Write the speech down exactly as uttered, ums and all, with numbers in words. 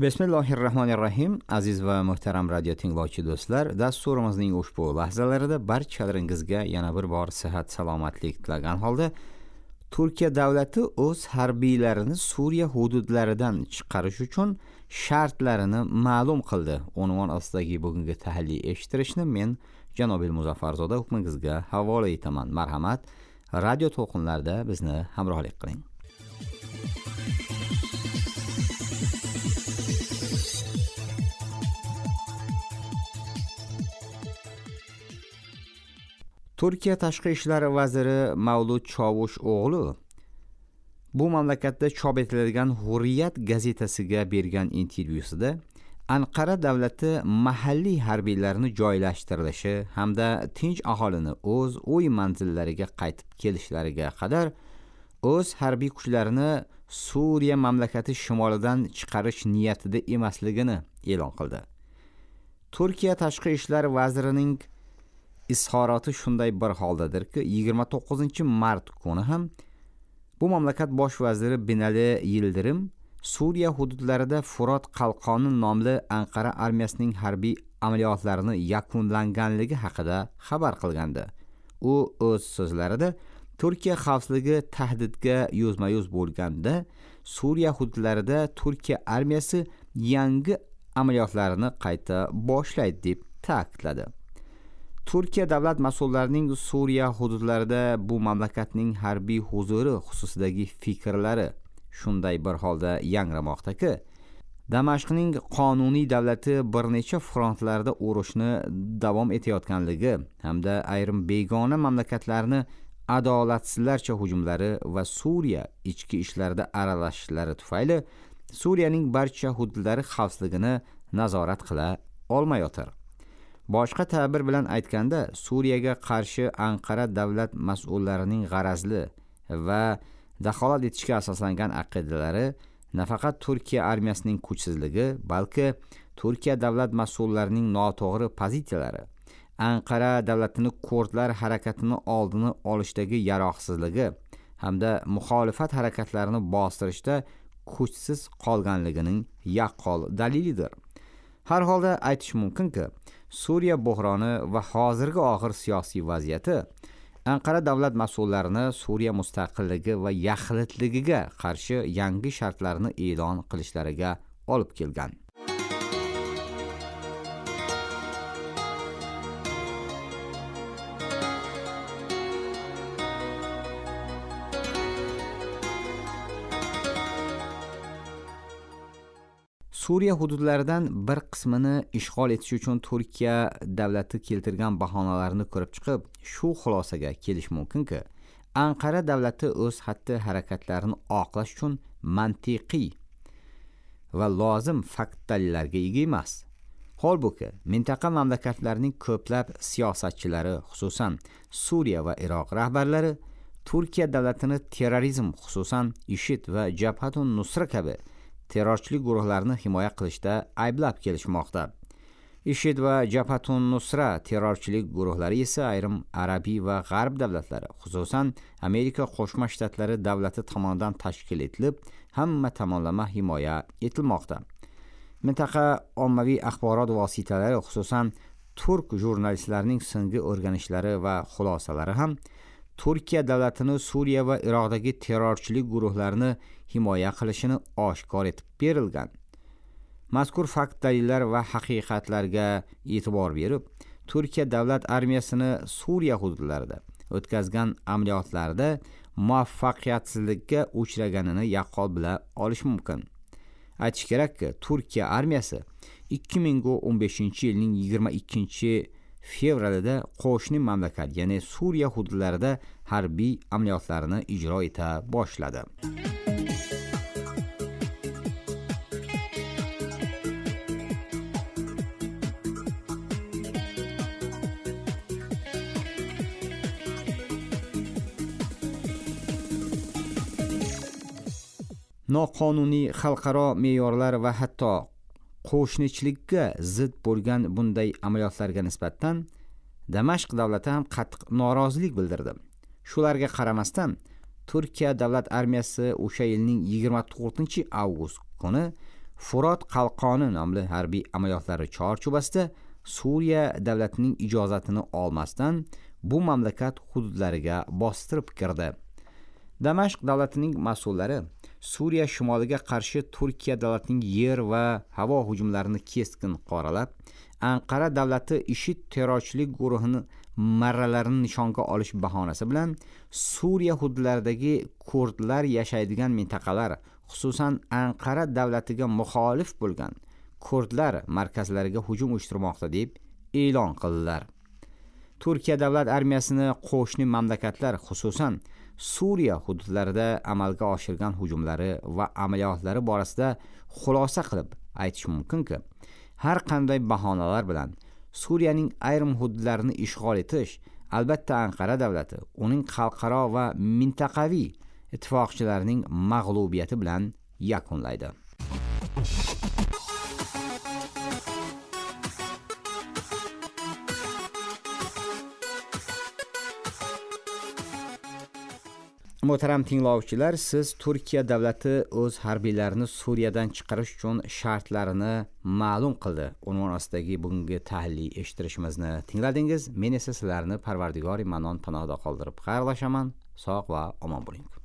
Bismillahirrahmanirrahim. Aziz va muhtaram radio tinglovchi do'stlar, dasturimizning ushbu lahzalarida barchalaringizga yana bir bor sihat salomatlik tilagan holda Turkiya davlati o'z harbiylarini Suriya hududlaridan chiqarish uchun shartlarini ma'lum qildi. Unvon ostidagi bugungi tahliliy eshittirishni men Janobil Muzaffarzoda hukmingizga havola etaman. Marhamat, radio to'lqinlarida bizni hamrohlik qiling. Turkiya tashqi ishlar vaziri Mavlut Çavuşoğlu bu mamlakatda chop etiladigan Hurriyat gazetasiga bergan intervyusida Anqara davlati mahalliy harbiylarni joylashtirilishi hamda tinch aholini o'z uy manzillariga qaytib kelishlariga qadar o'z harbiy kuchlarini Suriya mamlakati shimolidan chiqarish niyatida emasligini e'lon qildi. Turkiya tashqi ishlar vazirining izhoroti shunday bir holdadirki, yigirma to'qqizinchi mart kuni ham bu mamlakat bosh vaziri Binali Yildirim Suriya hududlarida Furot qalqoni nomli Anqara armiyasining harbiy amaliyotlarini yakunlanganligi haqida xabar qilgandi. U o'z so'zlarida Turkiya xavfsizligi tahdidga yuzma-yuz bo'lganda Suriya hududlarida Turkiya armiyasi yangi amaliyotlarini qayta boshlaydi deb ta'kidladi. Turkiya davlat mas'ullarining Suriya hududlarida bu mamlakatning harbiy huzuri xususidagi fikrlari shunday bir holda yangramoqdaki, Damashqning qonuniy davlati bir necha frontlarda urushni davom etayotganligi hamda ayrim begona mamlakatlarni adolatsizlarcha hujumlari va Suriya ichki ishlarida aralashishlari tufayli Suriyaning barcha hududlari xavfsizligini nazorat qila olmayotir. Boshqa ta'bir bilan aytganda, Suriyaga qarshi Anqara davlat mas'ullarining g'arazli va daxolat etishga asoslangan aqidalari nafaqat Turkiya armiyasining kuchsizligi, balki Turkiya davlat mas'ullarining noto'g'ri pozitsiyalari, Anqara davlatini kurdlar harakatini oldini olishdagi yaroqsizligi hamda muxolifat harakatlarini bostirishda kuchsiz qolganligining yaqqol dalilidir. Har holda aytish mumkinki, Suriya bo'hroni va hozirgi og'ir siyosiy vaziyati Anqara davlat mas'ullarini Suriya mustaqilligi va yaxlitligiga qarshi yangi shartlarni e'lon qilishlariga olib kelgan. Suriya hududlaridan bir qismini ishg'ol etish uchun Turkiya davlati keltirgan bahonalarni ko'rib chiqib, shu xulosaga kelish mumkinki, Anqara davlati o'z xatti-harakatlarini oqlash uchun mantiqiy va lozim fakt dalillarga ega emas. Holbuki, mintaqa mamlakatlarining ko'plab siyosatchilari, xususan Suriya va Iroq rahbarlari Turkiya davlatini terrorizm, xususan IŞİD va Jabhatun Nusra kabi terrorchilik guruhlarini himoya qilishda ayblab kelishmoqda. IŞİD va Jabhatun Nusra terrorchilik guruhlari esa ayrim arabiy va g'arb davlatlari, xususan Amerika Qo'shma Shtatlari davlati tomonidan tashkil etilib, hamma tomonlama himoya etilmoqda. Mintaqa ommaviy axborot vositalari, xususan turk jurnalistlarining so'nggi o'rganishlari va xulosalari ham Turkiya davlatini Suriya va Iroqdagi terrorchilik guruhlarini himoya qilishini oshkor etib berilgan. Mazkur fakt dalillar va haqiqatlarga e'tibor berib, Turkiya davlat armiyasini Suriya hududlarida o'tkazgan amaliyotlarda muvaffaqiyatsizlikka uchraganini yaqqol bila olish mumkin. Aytish kerakki, Turkiya armiyasi ikki ming o'n beshinchi yilning yigirma ikkinchi fevralida qo'shni mamlakat, ya'ni Suriya hududlarida harbiy amaliyotlarni ijro eta boshladi. Noqonuniy xalqaro me'yorlar va hatto qo'shnichilikka zid bo'lgan bunday amaliyotlarga nisbatan Damashq davlati ham qattiq norozilik bildirdi. Shularga qaramasdan Turkiya davlat armiyasi o'sha yilning yigirma to'rtinchi avgust kuni Furot qalqoni nomli harbiy amaliyotlari chorchuvasida Suriya davlatining ijozatini olmasdan bu mamlakat hududlariga bostirib kirdi. Damashq davlatining mas'ullari Suriya shimoliga qarshi Turkiya davlatining yer va havo hujumlarini keskin qoralab, Anqara davlati IŞİD terrorchilik guruhini marralarini nishonga olish bahonasi bilan Suriya hududlaridagi kurdlar yashaydigan mintaqalar, xususan Anqara davlatiga muxolif bo'lgan kurdlar markazlariga hujum uyushtirmoqda deb e'lon qildilar. Turkiya davlat armiyasini qo'shni mamlakatlar, xususan Suriya hududlarida amalga oshirgan hujumlari va amaliyotlari borasida xulosa qilib aytish mumkinki, har qanday bahonalar bilan Suriyaning ayrim hududlarini ishg'ol etish albatta Anqara davlati, uning xalqaro va mintaqaviy ittifoqchilarining mag'lubiyati bilan yakunlaydi. Muhtaram tinglovchilar, siz Turkiya davlati o'z harbiylarini Suriyadan chiqarish uchun shartlarini ma'lum qildi unvon ostidagi bugungi tahliliy eshittirishimizni tingladingiz. Men esa sizlarni Parvardigori Manon panohida qoldirib xayrlashaman. Sog' va omon bo'ling.